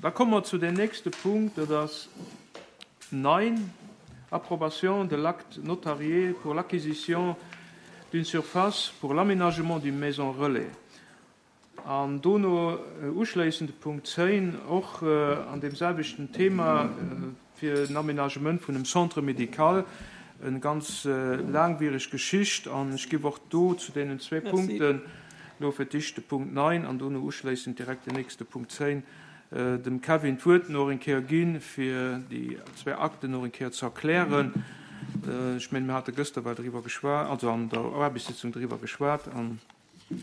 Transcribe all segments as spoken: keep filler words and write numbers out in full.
Da komme mer zu dem nächste Punkt, dat ass neun, Approbation de l'acte notarié pour l'acquisition d'une surface pour l'aménagement d'une maison relais. An dono uschléissend de Punkt zéng, och an deem selwechten Thema, fir en Aménagement vun engem Centre médical, eng ganz laangwiereg Geschicht. An ech géif och do zu deenen zwee Punkten, elo fir d'éischt de Punkt neun an dono uschléissend direkt den nächste Punkt zéng, dem Kevin d'Wuert nach eng Kéier ginn, fir déi zwee Akten nach eng Kéier ze erklären. Ech mengen, mir hate gëschter well driwwer geschwat, also an der Aarbechtssitzung driwwer geschwat. An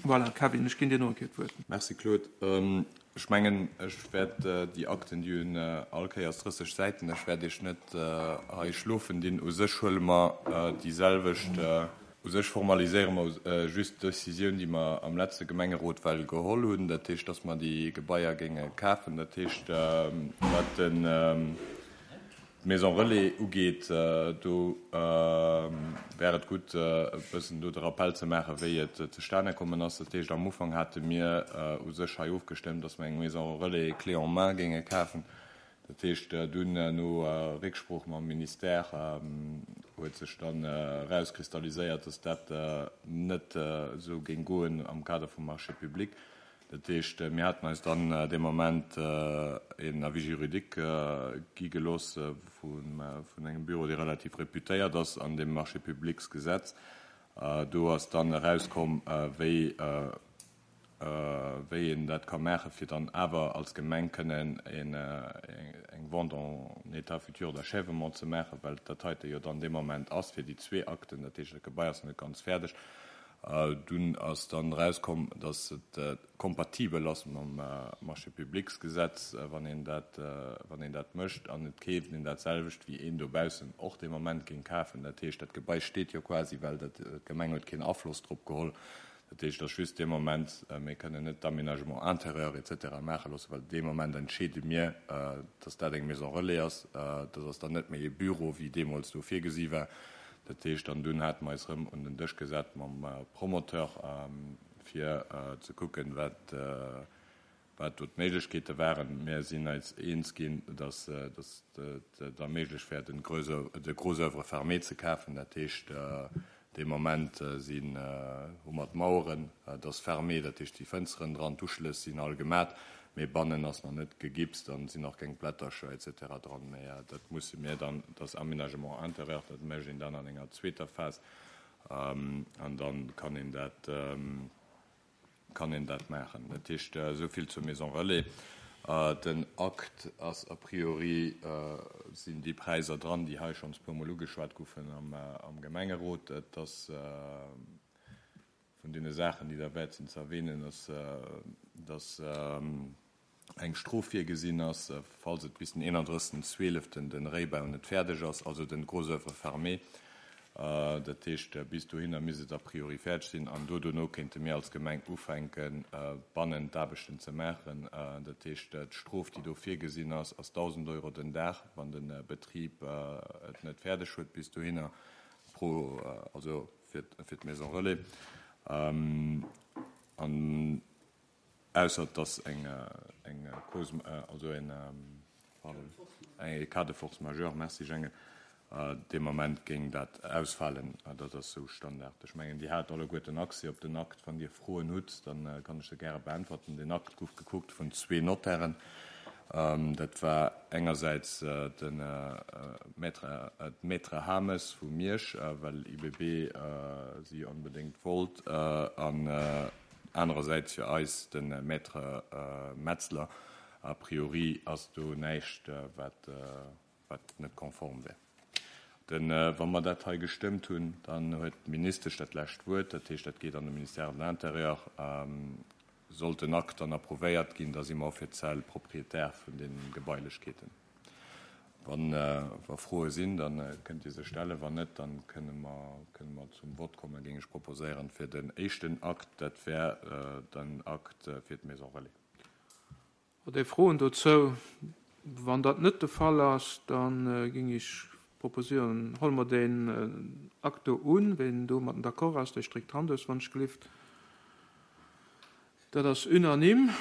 voilà, Kevin, ech ginn dir nach eng Kéier d'Wuert. Merci, Claude. Ech mengen, ech wäert déi Akten, déi hunn all Kéiers drësseg Säiten, ech wäert Iech net hei schlofen dinn. U sech huele mer déi selwecht, u sech formaliséiere mer just d'Decisioun, déi mer am letzte Gemengerot well geholl hunn, dat heescht, dass mer déi Gebaier géinge kafen. Dat heescht, wat den d'Maison Relais ugeet, do wär et gutt, e bëssen do de Rappel ze maachen, wéi et zustane kommen ass. Dat heescht, am Ufank hate mir u sech hei ofgestëmmt, dass mer eng Maison Relais clé en main géinge kafen. Dat heescht, dunn no Récksprooch mam Ministère huet sech dann erauskristalliséiert, dass dat net esou géing goen am Kader vum Marché public. Dat heescht, mir haten eis dann dee Moment een Avis juridique gi gelooss vun engem Büro, dee relativ reputéiert ass an deem Marché publics Gesetz. Do ass dann erauskomm, wéi wéi een dat ka maachen, fir dann awer als Gemeng kënnen eng Vente en état futur d'achèvement ze maachen, well dat heite jo dann dee Moment ass fir déi zwee Akten. Dat heescht, dat Gebai ass net ganz fäerdeg. Dunn ass dann erauskomm, dass et kompatibel ass mam Marché publics Gesetz, wann een dat, wann een dat mécht, an et keeft een dat selwecht, wéi een dobaussen och dee Moment géing kafen. Dat heescht, dat Gebai steet jo quasi, well dat d'Gemeng huet keen Afloss drop geholl. Dat heescht, dass just dee Moment, mir kënnen net d'Aménagement intérieur et cetera maache loossen, well dee Moment entscheede mir, dass dat eng Maison relais ass. Dat ass dann net méi e Büro, wéi deemools do virgesi war. Dat heescht, an dunn hate mer eis erëm un den Dësch gesat mam Promoteur, fir ze kucken, wat, wat do d'Méiglechkeete waren. Mir sinn eis eens ginn, dass, dass et da méiglech wär, den gros, de gros œuvre fermé ze kafen. Dat heescht, dee Moment sinn, hu mer d'Maueren, dat ass fermé, dat heescht, déi Fënsteren dran, d'Uschlëss sinn all gemat, mee bannen ass nach net gegipst an sinn nach keng Blättercher et cetera dran. Mee dat musse mir dann, dat ass Aménagement intérieur, dat mécht een dann an enger zweeter Phas an dann kann een dat, kann een dat maachen. Dat heescht, esou vill zur Maison Relais. Den Akt ass a priori, sinn déi Präisser dran, déi hei schonns puer Mol ugeschwat goufen am, am Gemengerot. Et ass vun deene Saachen, déi derwäert sinn ze erwähnen, ass, dass eng Strof virgesinn ass, falls et bis den eenandrëssegsten Zwieleften den Réibau net fäerdeg ass, also den gros œuvre fermé. Dat heescht, bis dohinner misst et a priori fäerdeg sinn an do dono kéinte mir als Gemeng ufänken, bannen d'Aarbechten ze maachen. Dat heescht, d'Strof, déi do virgesinn ass, ass dausend Euro den Dag, wann de Betrib et net fäerdeg huet bis dohinner, pro, also fir, fir d'Maison Relais. An ausser dass eng, eng Cause, also en, pardon, eng cas de force majeure, merci Jenge, dee Moment géing dat ausfalen. Dat ass sou Standard. Ech mengen, Dir hat alleguerten Accès op den Akt. Wann Dir Froen hutt, dann kann ech se gäre beäntwerten. Den Akt gouf gekuckt vun zwee Notairen. Dat war engersäits de Maître, d'Maître Hames vu Miersch, well I B B si onbedéngt wollt, an anerersäits fir eis de Maître Metzler. A priori ass do näischt, wat, wat net konform wär. Den, wa mer dat hei gestëmmt hunn, dann huet d'Ministesch dat lescht Wuert. Dat heescht, dat geet an de Ministère de l'Intérieur. Sollt den Akt dann approuvéiert ginn, da si mer offiziell Proprietär vun den Gebailechkeeten. Wann wa Froe sinn, dann kënnt Dir se stellen. Wann net, dann kënne mer, kënne mer zum Vott kommen, géing ech proposéieren, fir den éischten Akt, dat wär den Akt fir d'Maison Relais. Hutt Dir Froen dozou? Wann dat net de Fall ass, dann géing ech proposéieren, huele mer den Akt do un. Wien domat d'accord ass, dee streckt d'Hand aus, wann ech gelift. Dat ass unanime.